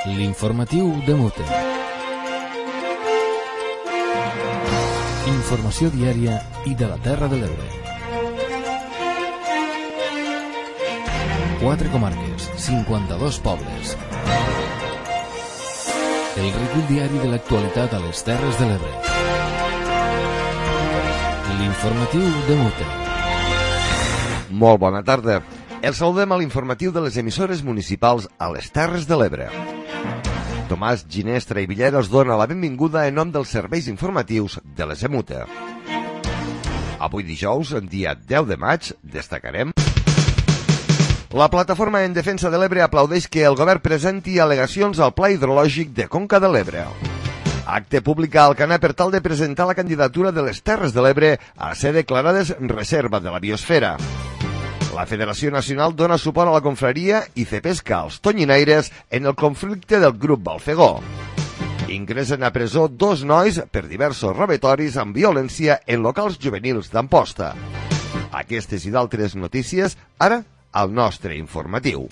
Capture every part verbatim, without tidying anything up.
L'informatiu de Mute. Informació diària i de la Terra de l'Ebre. Quatre comarques, cinquanta-dos pobles. El recull diari de l'actualitat a les Terres de l'Ebre. L'informatiu de Mute. Molt bona tarda. Els saludem a l'informatiu de les emissores municipals a les Terres de l'Ebre. Tomàs Ginestra i Villera us dona la benvinguda en nom dels serveis informatius de les EMUTE. Avui dijous, en dia deu de maig, destacarem: la Plataforma en Defensa de l'Ebre aplaudeix que el govern presenti al·legacions al Pla Hidrològic de Conca de l'Ebre. Acte públic a Alcanar per tal de presentar la candidatura de les Terres de l'Ebre a ser declarades reserva de la biosfera. La Federació Nacional dona suport a la confraria i fe pesca als tonyinaires en el conflicte del grup Balfegó. Ingressen a presó dos nois per diversos robatoris amb violència en locals juvenils d'Amposta. Aquestes i d'altres notícies, ara, al nostre informatiu.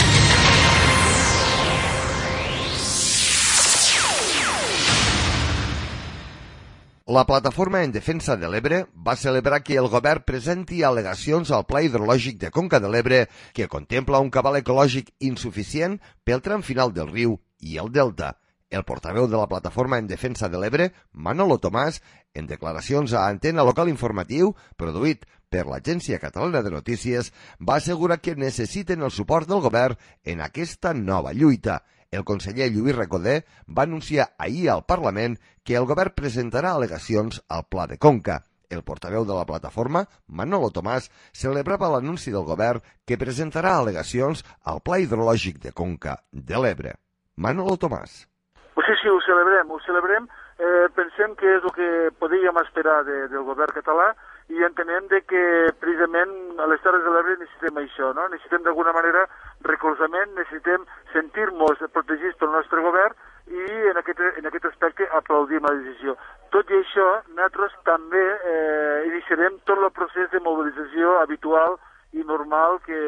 La Plataforma en Defensa de l'Ebre va celebrar que el govern presenti al·legacions al Pla Hidrològic de Conca de l'Ebre que contempla un cabal ecològic insuficient pel tram final del riu i el delta. El portaveu de la Plataforma en Defensa de l'Ebre, Manolo Tomàs, en declaracions a Antena Local Informatiu, produït per l'Agència Catalana de Notícies, va assegurar que necessiten el suport del govern en aquesta nova lluita. El conseller Lluís Recoder va anunciar ahir al Parlament que el govern presentarà al·legacions al Pla de Conca. El portaveu de la plataforma, Manolo Tomàs, celebrava l'anunci del govern que presentarà al·legacions al Pla Hidrològic de Conca de l'Ebre. Manolo Tomàs. Sí, sí, ho celebrem, ho celebrem. Eh, pensem que és el que podíem esperar de, del govern català i entenem de que precisament a les Terres de l'Ebre necessitem això, no? Necessitem d'alguna manera recolzament, necessitem sentir-nos protegits pel nostre govern i en aquest, en aquest aspecte aplaudim la decisió. Tot i això, nosaltres també eh, iniciarem tot el procés de mobilització habitual i normal que,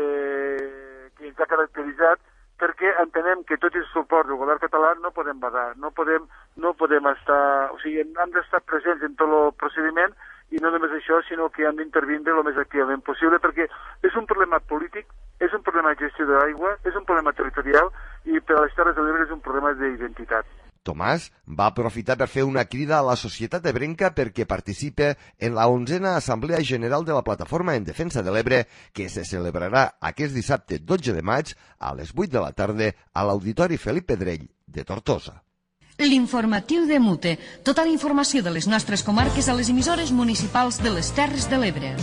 que ens ha caracteritzat, perquè entenem que tot el suport del govern català no podem badar, no podem, no podem estar, o sigui, hem d'estar presents en tot el procediment i no només això, sinó que han d'intervindre el més activament possible, perquè és un problema polític, és un problema de gestió de l'aigua, és un problema territorial i per a les Terres de l'Ebre és un problema d'identitat. Tomàs va aprofitar per fer una crida a la societat ebrenca perquè participe en la onzena Assemblea General de la Plataforma en Defensa de l'Ebre que se celebrarà aquest dissabte dotze de maig a les vuit de la tarda a l'Auditori Felip Pedrell de Tortosa. L'informatiu de Mute. Tota la informació de les nostres comarques a les emissores municipals de les Terres de l'Ebre.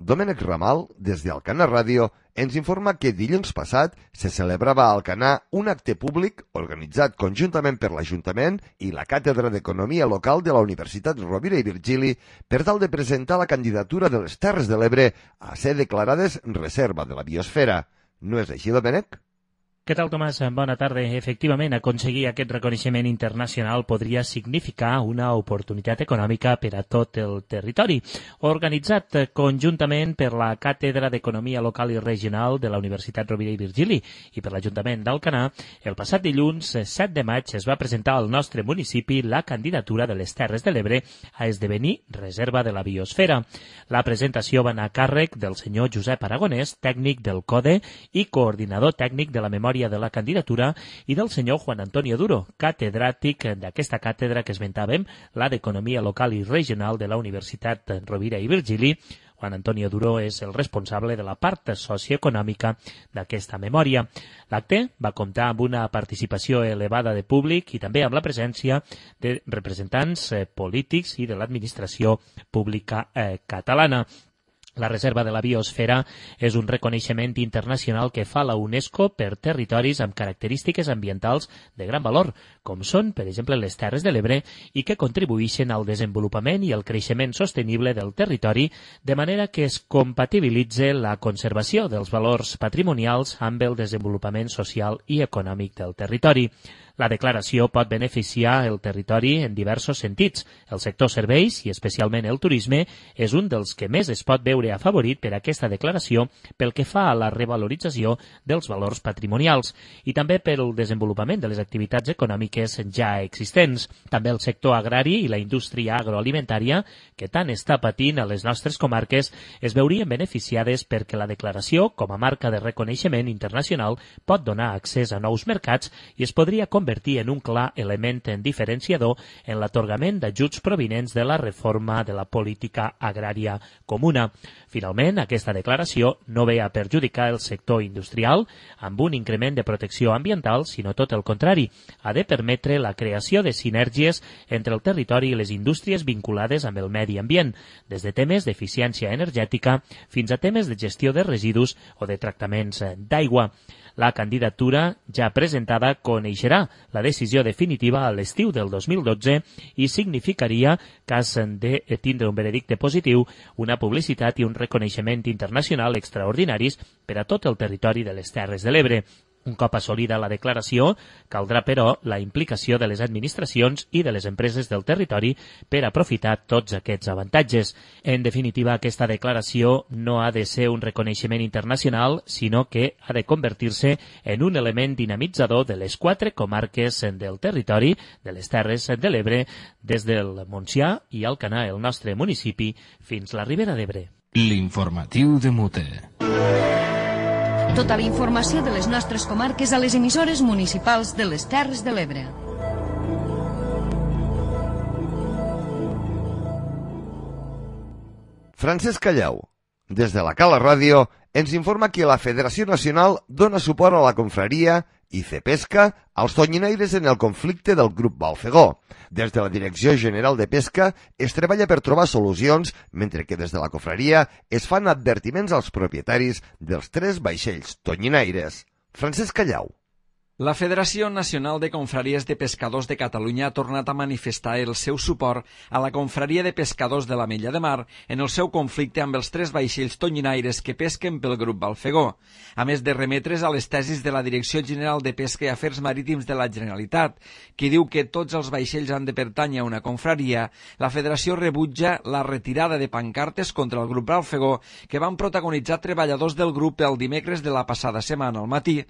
Domènec Ramal, des d'Alcanar Ràdio, ens informa que dilluns passat se celebrava a Alcanar un acte públic organitzat conjuntament per l'Ajuntament i la Càtedra d'Economia Local de la Universitat Rovira i Virgili per tal de presentar la candidatura de les Terres de l'Ebre a ser declarades reserva de la biosfera. No és així, Domènec? Què tal, Tomàs? Bona tarda. Efectivament, aconseguir aquest reconeixement internacional podria significar una oportunitat econòmica per a tot el territori. Organitzat conjuntament per la Càtedra d'Economia Local i Regional de la Universitat Rovira i Virgili i per l'Ajuntament d'Alcanar, el passat dilluns set de maig es va presentar al nostre municipi la candidatura de les Terres de l'Ebre a esdevenir reserva de la biosfera. La presentació va anar a càrrec del senyor Josep Aragonès, tècnic del CODE i coordinador tècnic de la memòria de la candidatura, i del senyor Juan Antonio Duro, catedràtic d'aquesta càtedra que esmentàvem, la d'Economia Local i Regional de la Universitat Rovira i Virgili. Juan Antonio Duro és el responsable de la part socioeconòmica d'aquesta memòria. L'acte va comptar amb una participació elevada de públic i també amb la presència de representants eh, polítics i de l'administració pública eh, catalana. La reserva de la biosfera és un reconeixement internacional que fa la UNESCO per territoris amb característiques ambientals de gran valor, com són, per exemple, les Terres de l'Ebre, i que contribueixen al desenvolupament i al creixement sostenible del territori, de manera que es compatibilitze la conservació dels valors patrimonials amb el desenvolupament social i econòmic del territori. La declaració pot beneficiar el territori en diversos sentits. El sector serveis, i especialment el turisme, és un dels que més es pot veure afavorit per aquesta declaració pel que fa a la revalorització dels valors patrimonials i també pel desenvolupament de les activitats econòmiques ja existents. També el sector agrari i la indústria agroalimentària, que tant està patint a les nostres comarques, es veurien beneficiades perquè la declaració, com a marca de reconeixement internacional, pot donar accés a nous mercats i es podria convertir en un clar element diferenciador en l'atorgament d'ajuts provinents de la reforma de la política agrària comuna. Finalment, aquesta declaració no ve a perjudicar el sector industrial amb un increment de protecció ambiental, sinó tot el contrari. Ha de permetre la creació de sinergies entre el territori i les indústries vinculades amb el medi ambient, des de temes d'eficiència energètica fins a temes de gestió de residus o de tractaments d'aigua. La candidatura ja presentada coneixerà la decisió definitiva a l'estiu del dos mil dotze i significaria, cas de tindre un veredicte positiu, una publicitat i un reconeixement internacional extraordinaris per a tot el territori de les Terres de l'Ebre. Un cop assolida la declaració, caldrà, però, la implicació de les administracions i de les empreses del territori per aprofitar tots aquests avantatges. En definitiva, aquesta declaració no ha de ser un reconeixement internacional, sinó que ha de convertir-se en un element dinamitzador de les quatre comarques del territori de les Terres de l'Ebre, des del Montsià i Alcanar, el nostre municipi, fins la Ribera d'Ebre. L'informatiu de Mute. Tota la informació de les nostres comarques a les emissores municipals de les Terres de l'Ebre. Francesc Callau, des de la Cala Ràdio, ens informa que la Federació Nacional dona suport a la confraria i Cepesca als tonyinaires en el conflicte del grup Balfegó. Des de la Direcció General de Pesca es treballa per trobar solucions, mentre que des de la confraria es fan advertiments als propietaris dels tres vaixells tonyinaires. Francesc Callau. La Federació Nacional de Confraries de Pescadors de Catalunya ha tornat a manifestar el seu suport a la Confraria de Pescadors de l'Ametlla de Mar en el seu conflicte amb els tres vaixells tonyinaires que pesquen pel grup Balfegó, a més de remetre's a les tesis de la Direcció General de Pesca i Afers Marítims de la Generalitat, que diu que tots els vaixells han de pertànyer a una confraria. La Federació rebutja la retirada de pancartes contra el grup Balfegó que van protagonitzar treballadors del grup el dimecres de la passada setmana al matí.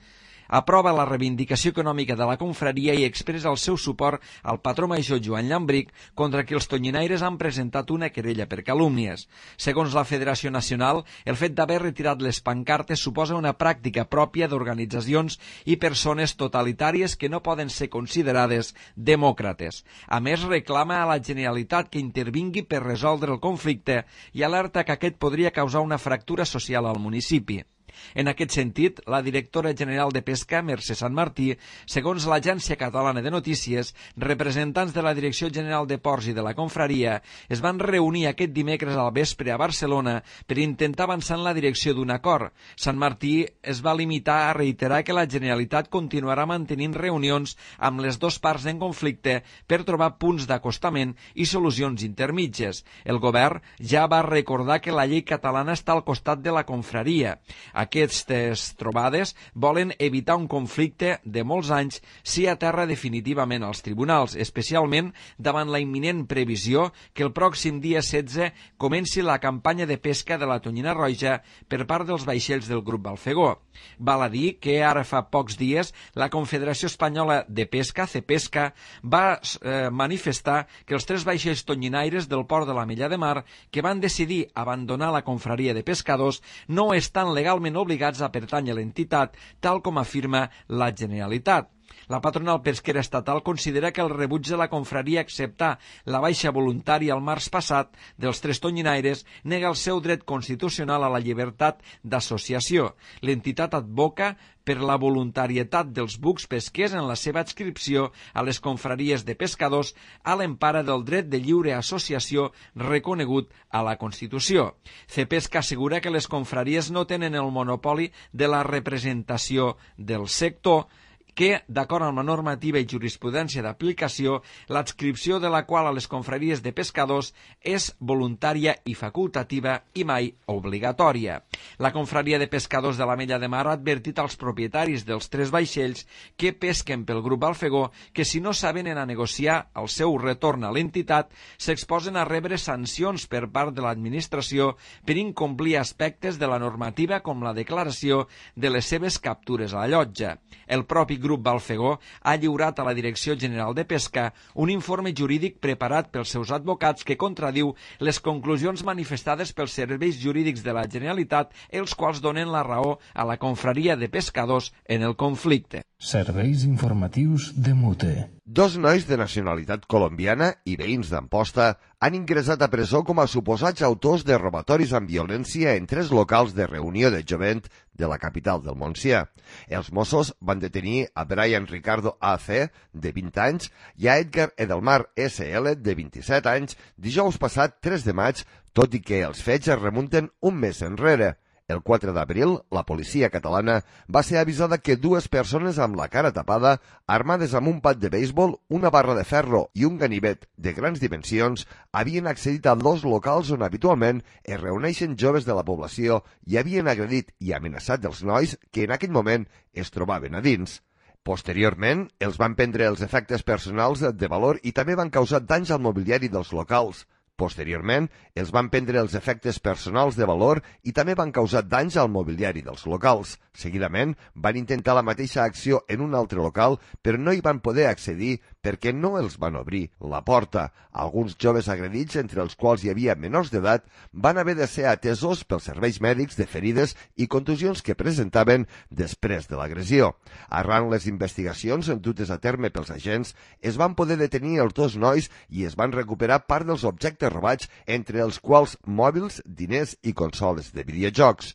Aprova la reivindicació econòmica de la confraria i expressa el seu suport al patró major Joan Llambric, contra qui els tonyinaires han presentat una querella per calúmnies. Segons la Federació Nacional, el fet d'haver retirat les pancartes suposa una pràctica pròpia d'organitzacions i persones totalitàries que no poden ser considerades demòcrates. A més, reclama a la Generalitat que intervingui per resoldre el conflicte i alerta que aquest podria causar una fractura social al municipi. En aquest sentit, la directora general de Pesca, Mercè Santmartí, segons l'Agència Catalana de Notícies, representants de la Direcció General de Ports i de la Confraria es van reunir aquest dimecres al vespre a Barcelona per intentar avançar en la direcció d'un acord. Santmartí es va limitar a reiterar que la Generalitat continuarà mantenint reunions amb les dues parts en conflicte per trobar punts d'acostament i solucions intermitges. El govern ja va recordar que la llei catalana està al costat de la confraria. Aquestes trobades volen evitar un conflicte de molts anys si aterra definitivament als tribunals, especialment davant la imminent previsió que el pròxim dia setze comenci la campanya de pesca de la tonyina roja per part dels vaixells del grup Balfegó. Val a dir que ara fa pocs dies la Confederació Espanyola de Pesca, Cepesca, va eh, manifestar que els tres vaixells tonyinaires del port de l'Ametlla de Mar que van decidir abandonar la confraria de pescadors no estan legalment obligats a pertànyer a l'entitat, tal com afirma la Generalitat. La patronal pesquera estatal considera que el rebuig de la confraria a acceptar la baixa voluntària el març passat dels tres tonyinaires nega el seu dret constitucional a la llibertat d'associació. L'entitat advoca per la voluntarietat dels bucs pesquers en la seva adscripció a les confraries de pescadors a l'empara del dret de lliure associació reconegut a la Constitució. Cepesca assegura que les confraries no tenen el monopoli de la representació del sector que, d'acord amb la normativa i jurisprudència d'aplicació, l'adscripció de la qual a les confraries de pescadors és voluntària i facultativa i mai obligatòria. La confraria de pescadors de l'Ametlla de Mar ha advertit als propietaris dels tres vaixells que pesquen pel grup Alfegó que si no s'avenen a negociar el seu retorn a l'entitat s'exposen a rebre sancions per part de l'administració per incomplir aspectes de la normativa com la declaració de les seves captures a la llotja. El propi grup Balfegó ha lliurat a la Direcció General de Pesca un informe jurídic preparat pels seus advocats que contradiu les conclusions manifestades pels serveis jurídics de la Generalitat, els quals donen la raó a la confraria de pescadors en el conflicte. Serveis informatius de Mute. Dos nois de nacionalitat colombiana i veïns d'Amposta han ingressat a presó com a suposats autors de robatoris amb violència en tres locals de reunió de jovent de la capital del Montsià. Els Mossos van detenir a Brian Ricardo A C, de vint anys, i a Edgar Edelmar S L, de vint-i-set anys, dijous passat tres de maig, tot i que els fets es remunten un mes enrere. El quatre d'abril, la policia catalana va ser avisada que dues persones amb la cara tapada, armades amb un pat de béisbol, una barra de ferro i un ganivet de grans dimensions, havien accedit a dos locals on habitualment es reuneixen joves de la població i havien agredit i amenaçat els nois que en aquell moment es trobaven a dins. Posteriorment, els van prendre els efectes personals de valor i també van causar danys al mobiliari dels locals. Posteriorment, els van prendre els efectes personals de valor i també van causar danys al mobiliari dels locals. Seguidament, van intentar la mateixa acció en un altre local, però no hi van poder accedir perquè no els van obrir la porta. Alguns joves agredits, entre els quals hi havia menors d'edat, van haver de ser atesos pels serveis mèdics de ferides i contusions que presentaven després de l'agressió. Arran les investigacions dutes a terme pels agents, es van poder detenir els dos nois i es van recuperar part dels objectes robats, entre els quals mòbils, diners i consoles de videojocs.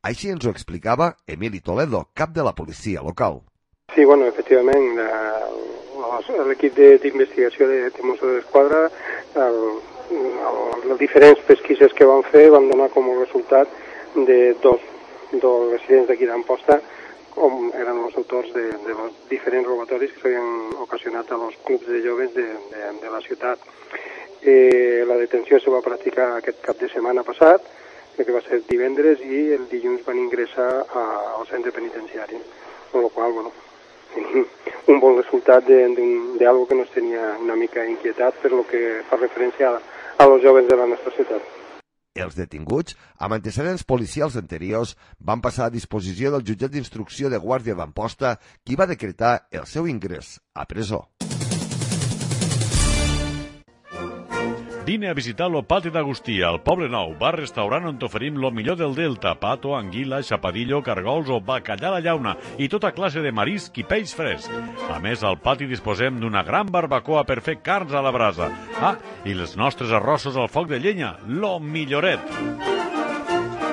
Així ens ho explicava Emili Toledo, cap de la policia local. Sí, bueno, efectivament, l'equip d'investigació de, de Mossos d'Esquadra, el, el, les diferents pesquises que van fer van donar com a resultat de dos, dos residents d'aquí d'Amposta, com eren els autors de, de los diferents robatoris que s'havien ocasionat a los clubs de joves de, de, de la ciutat. Eh, la detenció se va practicar aquest cap de setmana passat, que va ser divendres, i el dilluns van ingressar a, al centre penitenciari, amb la qual, bueno, un bon resultat d'algo que nos tenia una mica inquietat per lo que fa referència a, a los joves de la nostra ciutat. Els detinguts, amb antecedents policials anteriors, van passar a disposició del jutjat d'instrucció de Guàrdia d'Amposta, qui va decretar el seu ingrés a presó. Vine a visitar lo Pati d'Agustí, al Poble Nou, bar-restaurant on t'oferim lo millor del Delta, pato, anguila, xapadillo, cargols o bacallà a la llauna i tota classe de marisc i peix fresc. A més, al pati disposem d'una gran barbacoa per fer carns a la brasa. Ah, i els nostres arrossos al foc de llenya, lo milloret.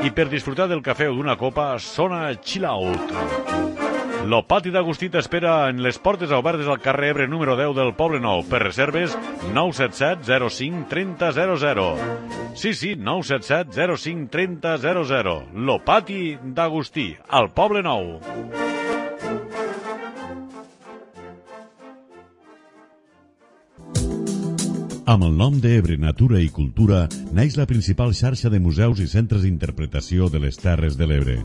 I per disfrutar del cafè o d'una copa, sona Chill Out. Lo Pati d'Agustí t'espera en les portes obertes al carrer Ebre número deu del Poble Nou. Per reserves, nou set set zero cinc trenta zero zero. Sí, sí, nou set set zero cinc trenta zero zero. Lo Pati d'Agustí, al Poble Nou. Amb el nom d'Ebre Natura i Cultura naix la principal xarxa de museus i centres d'interpretació de les Terres de l'Ebre.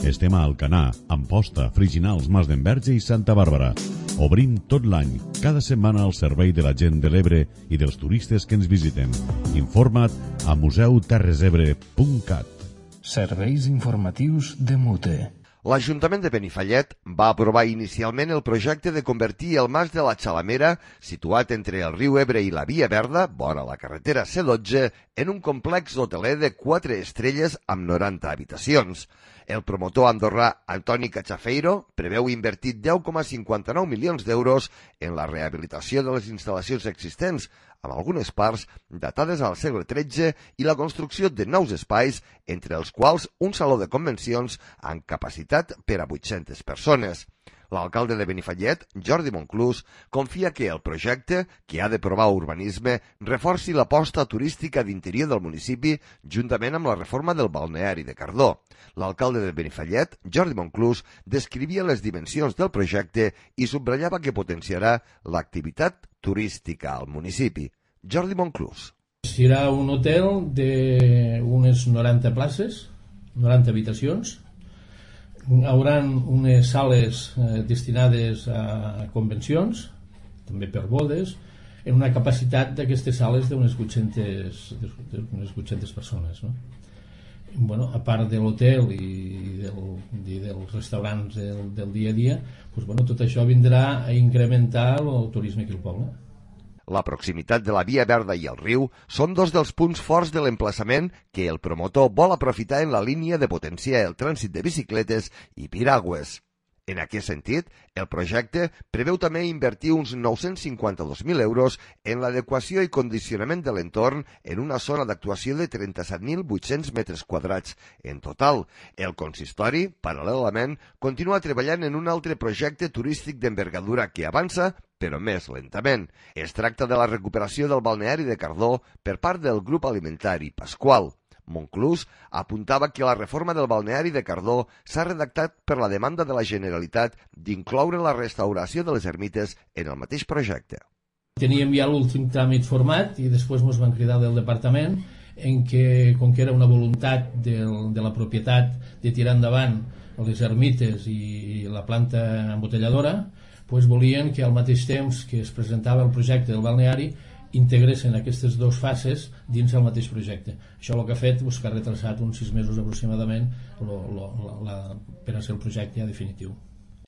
Estem a Alcanar, Amposta, Friginals, Mas d'Enverge i Santa Bàrbara. Obrim tot l'any, cada setmana al servei de la gent de l'Ebre i dels turistes que ens visiten. Informa't a museu terres ebre punt cat. Serveis informatius de Mute. L'Ajuntament de Benifallet va aprovar inicialment el projecte de convertir el Mas de la Xalamera, situat entre el riu Ebre i la Via Verda, vora la carretera C dotze, en un complex hoteler de quatre estrelles amb noranta habitacions. El promotor andorrà Antoni Cachafeiro preveu invertir deu coma cinquanta-nou milions d'euros en la rehabilitació de les instal·lacions existents, amb algunes parts datades al segle tretze i la construcció de nous espais, entre els quals un saló de convencions amb capacitat per a vuit-centes persones. L'alcalde de Benifallet, Jordi Monclús, confia que el projecte, que ha d'aprovar urbanisme, reforci l'aposta turística d'interior del municipi juntament amb la reforma del balneari de Cardó. L'alcalde de Benifallet, Jordi Monclús, descrivia les dimensions del projecte i subratllava que potenciarà l'activitat turística al municipi. Jordi Monclús. Serà un hotel d'unes noranta places, noranta habitacions. Hi haurà unes sales eh, destinades a convencions, també per bodes, en una capacitat d'aquestes sales d'unes vuit-centes persones. No? Bueno, a part de l'hotel i, del, i dels restaurants del, del dia a dia, doncs, bueno, tot això vindrà a incrementar el turisme aquí al poble. La proximitat de la Via Verda i el riu són dos dels punts forts de l'emplaçament que el promotor vol aprofitar en la línia de potenciar el trànsit de bicicletes i piragües. En aquest sentit, el projecte preveu també invertir uns nou-cents cinquanta-dos mil euros en l'adequació i condicionament de l'entorn en una zona d'actuació de trenta-set mil vuit-cents metres quadrats. En total, el consistori, paral·lelament, continua treballant en un altre projecte turístic d'envergadura que avança, però més lentament. Es tracta de la recuperació del balneari de Cardó per part del grup alimentari Pasqual. Monclús apuntava que la reforma del balneari de Cardó s'ha redactat per la demanda de la Generalitat d'incloure la restauració de les ermites en el mateix projecte. Teníem ja l'últim tràmit format i després ens van cridar del departament en què, com que era una voluntat del, de la propietat de tirar endavant les ermites i la planta embotelladora, doncs volien que al mateix temps que es presentava el projecte del balneari integressin aquestes dues fases dins el mateix projecte. Això el que ha fet és que ha retrasat uns sis mesos aproximadament lo, lo, la, la, per a ser el projecte ja definitiu.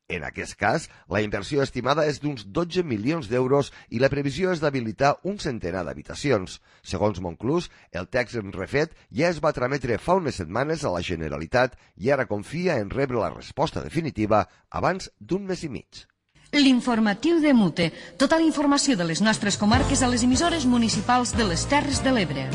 En aquest cas, la inversió estimada és d'uns dotze milions d'euros i la previsió és d'habilitar un centenar d'habitacions. Segons Monclús, el text refet ja es va trametre fa unes setmanes a la Generalitat i ara confia en rebre la resposta definitiva abans d'un mes i mig. L'informatiu de Mute. Tota la informació de les nostres comarques a les emissores municipals de les Terres de l'Ebre.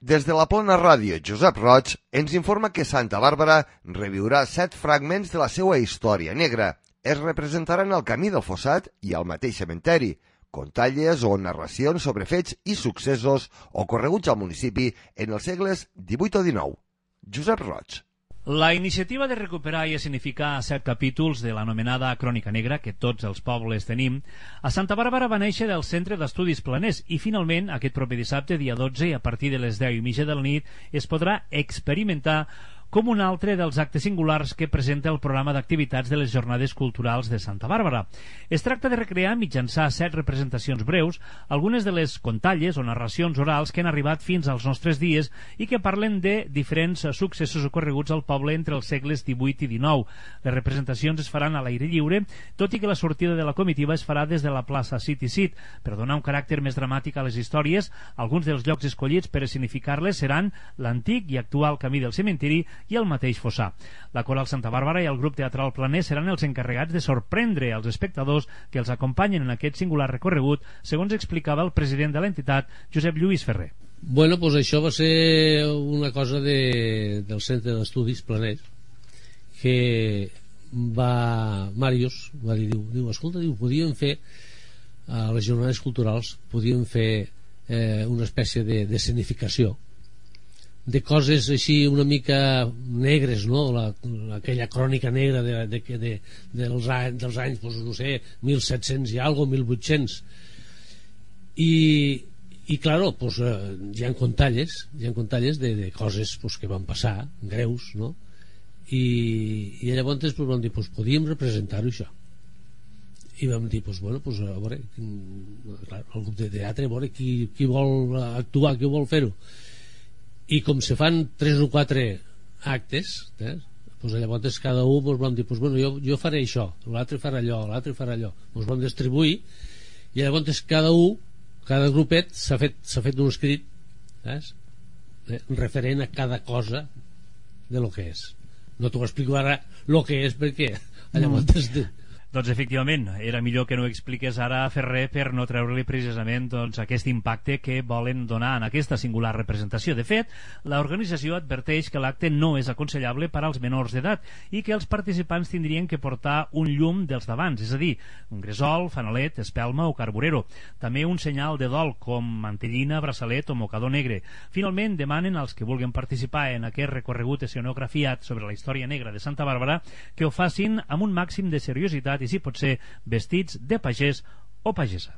Des de la Plana Ràdio, Josep Roig ens informa que Santa Bàrbara reviurà set fragments de la seva història negra. Es representaran al Camí del Fossat i al mateix cementeri, contalles o narracions sobre fets i successos ocorreguts al municipi en els segles divuit o dinou. Josep Roig. La iniciativa de recuperar i escenificar set capítols de l'anomenada Crònica Negra, que tots els pobles tenim, a Santa Bàrbara va néixer del Centre d'Estudis Planers i finalment, aquest proper dissabte, dia dotze, i a partir de les deu i mitja de la nit, es podrà experimentar com un altre dels actes singulars que presenta el programa d'activitats de les Jornades Culturals de Santa Bàrbara. Es tracta de recrear mitjançar set representacions breus algunes de les contalles o narracions orals que han arribat fins als nostres dies i que parlen de diferents successos ocorreguts al poble entre els segles divuit i dinou. Les representacions es faran a l'aire lliure, tot i que la sortida de la comitiva es farà des de la plaça City Seat. Per donar un caràcter més dramàtic a les històries, alguns dels llocs escollits per escenificar-les seran l'antic i actual Camí del Cementiri i el mateix Fossà. La Coral Santa Bàrbara i el grup teatral Planer seran els encarregats de sorprendre als espectadors que els acompanyen en aquest singular recorregut, segons explicava el president de l'entitat, Josep Lluís Ferrer. Bueno, doncs això va ser una cosa de, del Centre d'Estudis Planers que va... Màrius va dir, diu, diu escolta, diu, podíem fer a les jornades culturals podíem fer eh, una espècie d'escenificació de coses així una mica negres, no? La, aquella crònica negra de, de, de, dels, anys, dels anys, doncs, no sé, mil set-cents i algo, mil vuit-cents. I, i claro, pues, hi ha contalles, hi ha contalles de, de coses pues, que van passar, greus, no? I, i llavors pues, vam dir, pues, podíem representar-ho això. I vam dir, pues, bueno, pues, a veure, clar, el grup de teatre, a veure qui, qui vol actuar, qui vol fer-ho. I com se fan tres o quatre actes, eh, pues llavors cada un pues, vam dir, pues, bueno, jo, jo faré això, l'altre farà allò, l'altre farà allò, ens vam distribuir i llavors cada un, cada grupet s'ha fet, s'ha fet un escrit, saps? Eh, referent a cada cosa de lo que és. No t'ho explico ara lo que és perquè llavors... No. Doncs efectivament, era millor que no expliqués ara Ferrer per no treure-li precisament doncs, aquest impacte que volen donar en aquesta singular representació. De fet, l'organització adverteix que l'acte no és aconsellable per als menors d'edat i que els participants tindrien que portar un llum dels d'abans, és a dir, un gresol, fanalet, espelma o carburero. També un senyal de dol com mantellina, braçalet o mocador negre. Finalment, demanen als que vulguin participar en aquest recorregut escenografiat sobre la història negra de Santa Bàrbara que ho facin amb un màxim de seriositat i si pot ser vestits de pagès o pagesa.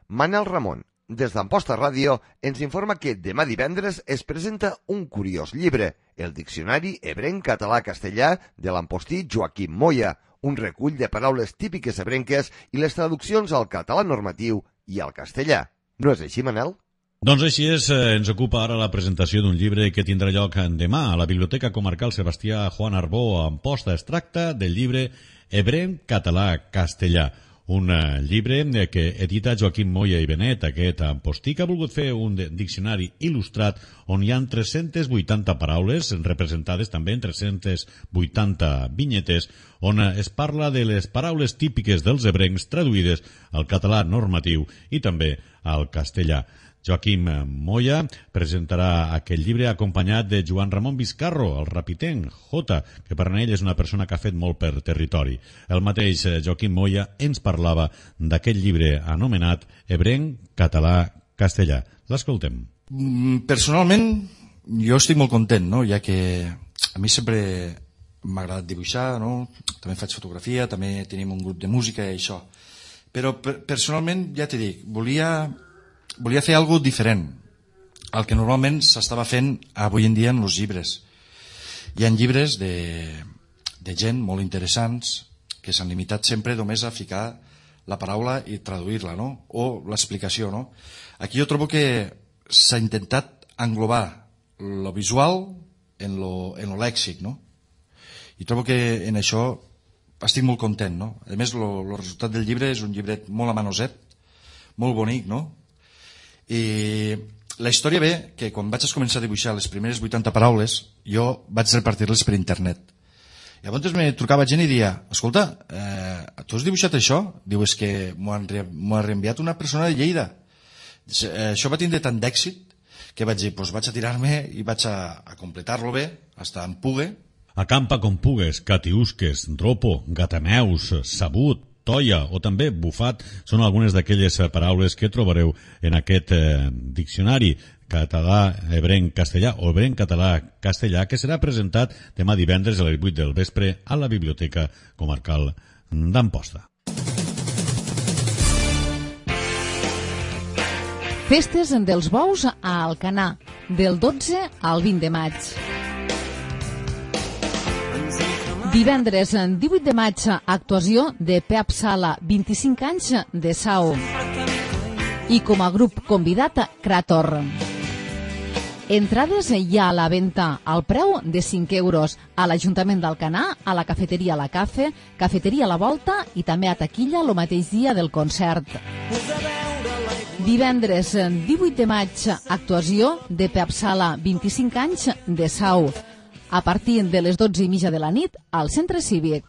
Manel Ramon, des d'Amposta Ràdio, ens informa que demà divendres es presenta un curiós llibre, el Diccionari Ebrenc-Català-Castellà de l'amposti Joaquim Moya, un recull de paraules típiques ebrenques i les traduccions al català normatiu i al castellà. No és així, Manel? Doncs així és, ens ocupa ara la presentació d'un llibre que tindrà lloc demà a la Biblioteca Comarcal Sebastià Juan Arbó a Amposta. Es tracta del llibre Ebrenc Català Castellà, un llibre que edita Joaquim Moya i Benet, aquest ampostí, que ha volgut fer un diccionari il·lustrat on hi ha tres-centes vuitanta paraules, representades també en tres-centes vuitanta vinyetes, on es parla de les paraules típiques dels ebrencs traduïdes al català normatiu i també al castellà. Joaquim Moya presentarà aquest llibre acompanyat de Joan Ramon Vizcarro, el rapitenc, Jota, que per ell és una persona que ha fet molt per territori. El mateix Joaquim Moya ens parlava d'aquest llibre anomenat Ebrenc Català Castellà. L'escoltem. Personalment, jo estic molt content, no? Ja que a mi sempre m'ha agradat dibuixar, no? També faig fotografia, també tenim un grup de música i això. Però personalment, ja t'he dit, volia... volia fer alguna cosa diferent al que normalment s'estava fent avui en dia en els llibres. Hi ha llibres de, de gent molt interessants que s'han limitat sempre només a ficar la paraula i traduir-la, no? O l'explicació, no? Aquí jo trobo que s'ha intentat englobar lo visual en lo, en lo lèxic, no? I trobo que en això estic molt content, no? A més, el resultat del llibre és un llibret molt amanoset, molt bonic, no? I la història ve que quan vaig començar a dibuixar les primeres vuitanta paraules jo vaig repartir-les per internet. Llavors me trucava gent i dia, escolta, eh, tu has dibuixat això? Diu, és que m'ho ha reenviat una persona de Lleida. Això va tindre tant d'èxit que vaig dir, doncs vaig a tirar-me i vaig a, a completar-lo bé, hasta en pugue. Acampa com pugues, catiusques, dropo, gatameus, sabut, toia o també bufat són algunes d'aquelles paraules que trobareu en aquest eh, diccionari català, ebrenc, castellà o ebrenc, català, castellà, que serà presentat demà divendres a les vuit del vespre a la Biblioteca Comarcal d'Amposta. Festes dels bous a Alcanar, del dotze al vint de maig. Divendres, divuit de maig, actuació de Pep Sala, vint-i-cinc anys de Sau. I com a grup convidat, Krator. Entrades hi ha a la venda al preu de cinc euros a l'Ajuntament d'Alcanar, a la cafeteria La Cafe, cafeteria La Volta i també a taquilla el mateix dia del concert. Divendres, divuit de maig, actuació de Pep Sala, vint-i-cinc anys de Sau. A partir de les dotze i mitja de la nit al Centre Cívic.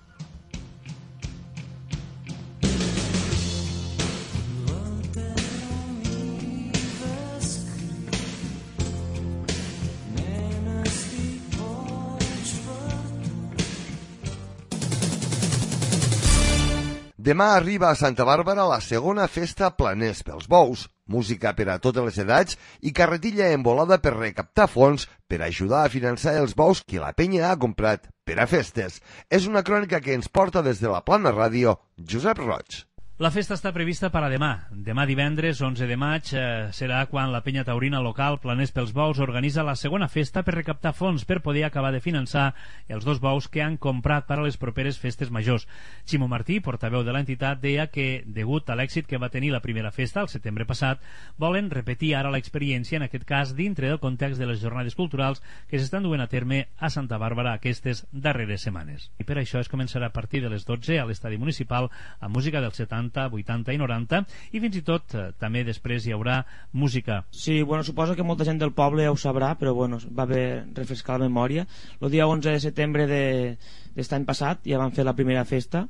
Demà arriba a Santa Bàrbara la segona festa Planers pels Bous, música per a totes les edats i carretilla envolada per recaptar fons per ajudar a finançar els bous que la penya ha comprat per a festes. És una crònica que ens porta des de la Plana Ràdio Josep Roig. La festa està prevista per a demà. Demà divendres, onze de maig, eh, serà quan la penya taurina local Planers pels Bous organitza la segona festa per recaptar fons per poder acabar de finançar els dos bous que han comprat per a les properes festes majors. Ximo Martí, portaveu de l'entitat, deia que, degut a l'èxit que va tenir la primera festa el setembre passat, volen repetir ara l'experiència, en aquest cas dintre del context de les jornades culturals que s'estan duent a terme a Santa Bàrbara aquestes darreres setmanes. I per això es començarà a partir de les dotze a l'estadi municipal amb música dels setanta setanta, vuitanta i noranta, i fins i tot eh, també després hi haurà música. Sí, bueno, suposo que molta gent del poble ho sabrà, però bueno, va bé refrescar la memòria. El dia onze de setembre d'aquest any passat ja vam fer la primera festa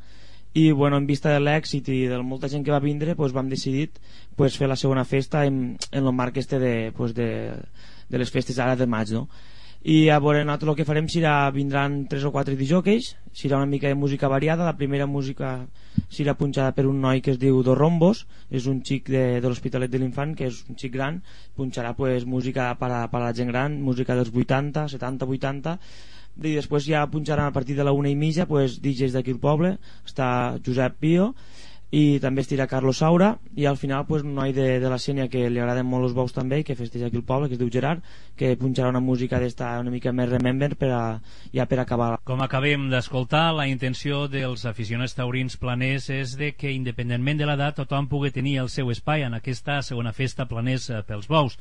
i bueno, en vista de l'èxit i de molta gent que va vindre, pues, vam decidir pues, fer la segona festa en, en el marc este de, pues, de, de les festes ara de maig, no? I a veure, nosaltres el que farem serà, vindran tres o quatre disjòqueis, serà una mica de música variada. La primera música serà punxada per un noi que es diu Dos Rombos, és un xic de, de l'Hospitalet de l'Infant, que és un xic gran, punxarà pues, música per a, per a la gent gran, música dels vuitanta, setanta, vuitanta, i després ja punxaran a partir de la una i mitja pues, D Js d'aquí al poble. Està Josep Pio i també estirà Carlos Saura, i al final pues, un noi de, de la Sénia que li agraden molt els bous també, que festeja aquí al poble, que es diu Gerard, que punxarà una música d'esta una mica més remember per a, ja per acabar. Com acabem d'escoltar, la intenció dels aficionats taurins planers és de que independentment de l'edat tothom pugui tenir el seu espai en aquesta segona festa planers pels bous.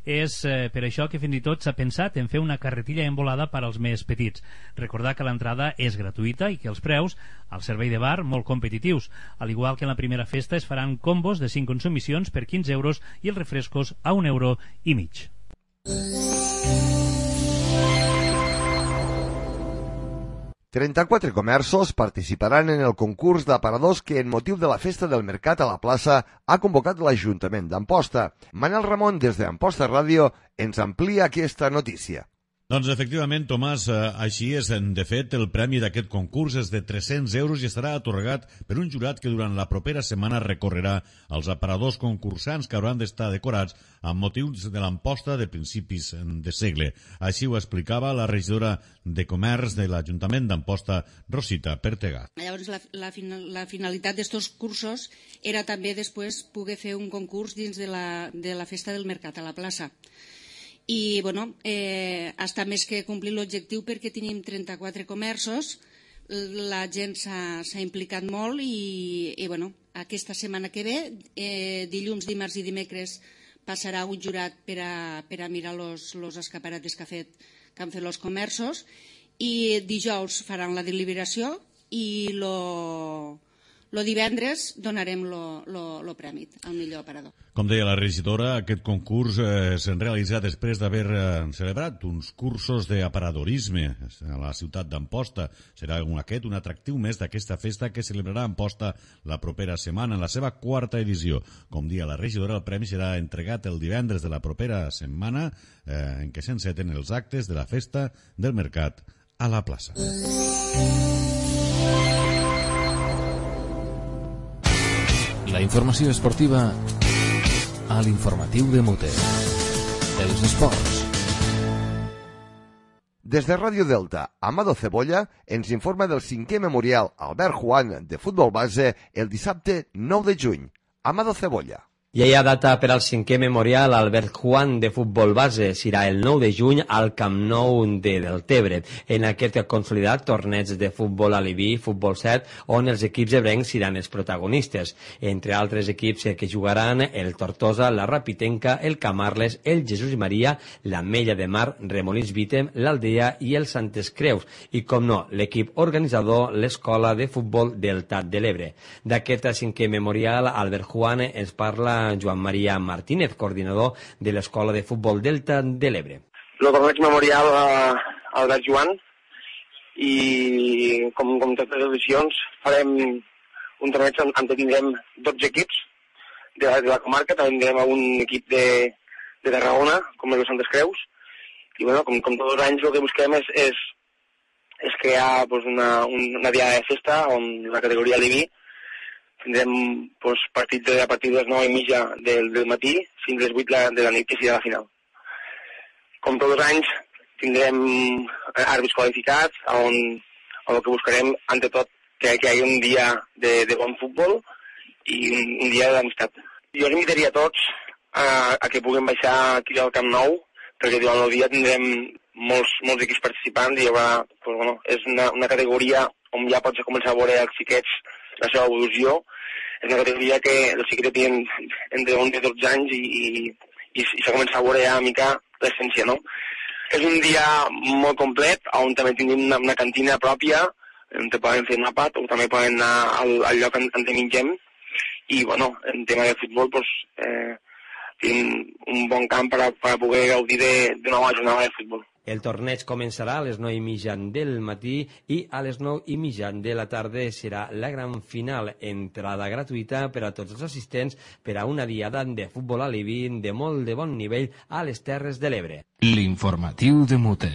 És eh, per això que fins i tot s'ha pensat en fer una carretilla envolada per als més petits. Recordar que l'entrada és gratuïta i que els preus al servei de bar molt competitius. Al igual que en la primera festa es faran combos de cinc consumicions per quinze euros i els refrescos a un euro i mig. trenta-quatre comerços participaran en el concurs d'aparadors que, en motiu de la festa del mercat a la plaça, ha convocat l'Ajuntament d'Amposta. Manel Ramon, des d'Amposta Ràdio, ens amplia aquesta notícia. Doncs efectivament, Tomàs, així és. De fet, el premi d'aquest concurs és de tres-cents euros i estarà atorgat per un jurat que durant la propera setmana recorrerà els aparadors concursants que hauran d'estar decorats amb motius de l'Amposta de principis de segle. Així ho explicava la regidora de Comerç de l'Ajuntament d'Amposta, Rosita Pertega. Llavors, la, la, la finalitat d'estos cursos era també després poder fer un concurs dins de la, de la festa del mercat a la plaça. I bueno, eh, està més que complir l'objectiu perquè tenim trenta-quatre comerços, la gent s'ha implicat molt i, i bueno, aquesta setmana que ve, eh, dilluns, dimarts i dimecres, passarà un jurat per a, per a mirar los, los escaparates que, ha fet, que han fet els comerços, i dijous faran la deliberació i lo... Lo divendres donarem lo, lo, lo premi al millor aparador. Com deia la regidora, aquest concurs eh, s'ha realitzat després d'haver eh, celebrat uns cursos d'aparadorisme a la ciutat d'Amposta. Serà un, aquest un atractiu més d'aquesta festa que celebrarà Amposta la propera setmana, en la seva quarta edició. Com deia la regidora, el premi serà entregat el divendres de la propera setmana eh, en què s'enceten els actes de la festa del mercat a la plaça. La informació esportiva a l'informatiu de Mute. Els esports. Des de Ràdio Delta, Amado Cebolla ens informa del cinquè memorial Albert Juan de futbol base el dissabte nou de juny. Amado Cebolla. Ja hi ha data per al cinquè memorial Albert Juan de futbol base. Serà el nou de juny al Camp Nou de Deltebre, en aquest consolidat torneig de futbol aliví, futbol set, on els equips ebrencs seran els protagonistes. Entre altres equips que jugaran el Tortosa, la Rapitenca, el Camarles, el Jesús i Maria, l'Ametlla de Mar, Remolins Vítem, l'Aldea i el Santes Creus. I, com no, l'equip organitzador, l'Escola de Futbol Delta de l'Ebre. D'aquest cinquè memorial, Albert Juan ens parla Joan Maria Martínez, coordinador de l'Escola de Futbol Delta de l'Ebre. El torneig memorial a Albert Joan i com, com totes les edicions farem un torneig on, on tindrem dotze equips de la, de la comarca, també tindrem un equip de, de Tarragona, com el de Santes Creus, i bueno, com, com tots els anys el que busquem és, és, és crear pues, una, una diada de festa on la categoria Aliví tindrem pues, partits de, a partir de les nou i mitja del, del matí fins a les vuit de la nit, que serà la final. Com tots els anys, tindrem àrbitres qualificats, on, on el que buscarem, ante tot, que, que hi hagi un dia de, de bon futbol i un, un dia d'amistat. Jo els invitaria a tots a, a que puguem baixar aquí al Camp Nou, perquè durant el dia tindrem molts, molts equips participants i hi haurà, pues, bueno, és una, una categoria on ja pots començar a veure els xiquets la seva evolució. És una categoria que els xiquets tenen entre onze i dotze anys i, i, i, i s'ha començat a veure ja una mica l'essència, no? És un dia molt complet, on també tenim una, una cantina pròpia, on te poden fer un àpat o també poden anar al, al lloc on, on te mengem. i bueno, en tema de futbol pues, eh, tenim un bon camp per a, per a poder gaudir d'una nova jornada de futbol. El torneig començarà a les nou i mitjan del matí i a les nou i mitjan de la tarda serà la gran final, entrada gratuïta per a tots els assistents per a una diada de futbol alibi de molt de bon nivell a les Terres de l'Ebre. L'informatiu de Mute.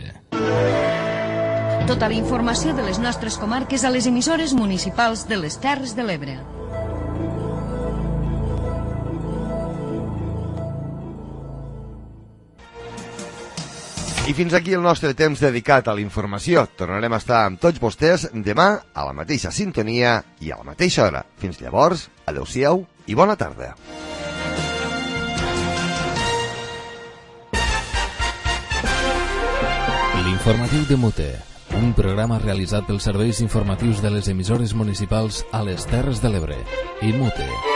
Tota la informació de les nostres comarques a les emissores municipals de les Terres de l'Ebre. I fins aquí el nostre temps dedicat a la informació. Tornarem a estar amb tots vostès demà a la mateixa sintonia i a la mateixa hora. Fins llavors, adeu-siau i bona tarda. L'informatiu de Mute, un programa realitzat pels serveis informatius de les emissores municipals a les Terres de l'Ebre i Mute.